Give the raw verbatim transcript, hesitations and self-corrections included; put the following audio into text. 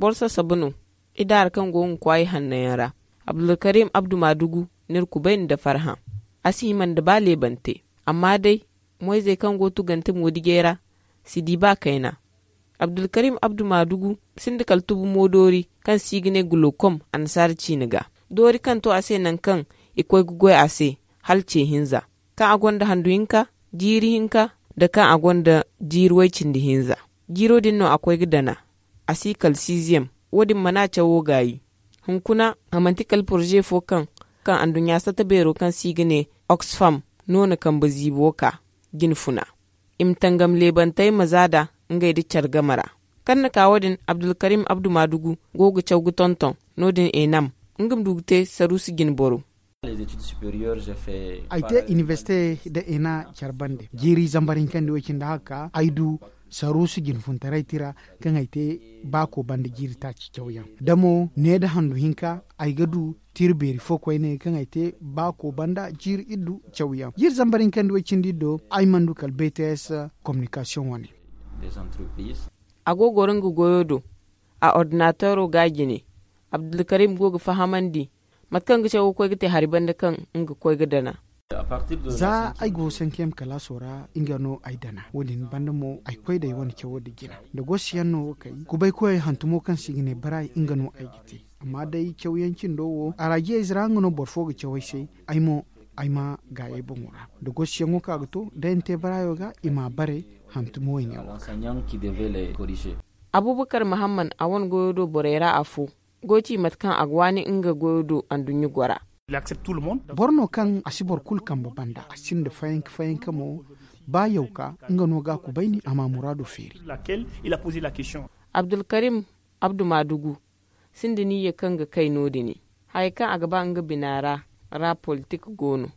Boro sasabu no idaara kaŋ go ga kwaay hanno yaŋ ra. Abdulkarim abdu maadugu, ni iri kubayni nda farhã. A si hima nda ba leebante. Amma day, moyzey kaŋ go ga tugante moodijey ra si di ba kayna. Abdulkarim abdu maadugu sinda kala tubu mo doori kaŋ se i ga ne gulokom annasaara ciine ga. Doori kaŋ to a se nangu kaŋ i koy ga goy a se hala ce hinza, kaŋ a gonda handu hinka, jiiri hinka, nda kaŋ a gonda jiiri way-cindi hinza. Jiiro din no a koy ga dana. A si kala siiziyem. Wo- din mana cawo gaayi. Hunkuna a manti kala poroze fo kaŋ kaŋ anduɲɲa satta beero kaŋ se i ga ne oxfam no na kambe ziibo ka jine funa. I ma tangam leebantey ma za nd'a ngey nda care game ra. Kaŋ na ka wo- din, abdulkarim abdu maadugu go ga caw ga tonton. No- din enam nga ma du ga te saruusi jine boro. Ay te inibersite nda ena care bande jiiri zambar hinka nda way-cindi haka ay du saruusi jine funtaray tira kaŋ ay te baako banda jiiri taaci cawyaŋ. Da mo ne nda handu hinka ay ga du tira beeri fo koyne kaŋ ay te baako banda jiiri iddu cawyaŋ jiiri zambar hinka nda way-cindi iddo ay mana du kala bts. Communikasiyoŋ wane. A go ga goro nga goyo do. A ordinateero ga a jine. Abdulkarim go ga fahamandi mate kaŋ ga cawo ga koy ga te hari banda kaŋ nga ga koy ga dana. Za ay go sankeyam kalaaso ra nga no ay dana wo- din banda mo ay koy da ay wane cawo nda jina nda gosi yaŋ no ga kay. Kubaykoyey hantumo kaŋ se i ga ne baraay nga no ay ga te. Amma day cawyaŋ cindo wo araajiyayze ra nga no boro fo ga caw ay se. Ay mo ay ma gaayey boŋo ra nda gosi yaŋo kaŋ a ga to da ay na te baraayo ga i m'a bare. Hantumo wayne wo. Abubakar mahamman a wane goyo do borey ra afo go ci mate kaŋ a ga waani nga goyo do anduɲɲa gora. Boro no kaŋ a si boro kulu kambe banda a sinda fayanka fayanka mo. Ba yawka nga no ga a kubayni a ma muraado feeri. Abdulkarim abdu maadugu sinda niyya kaŋ ga kay no- din. Hayey kaŋ a ga ba nga bina ra ra politik go no.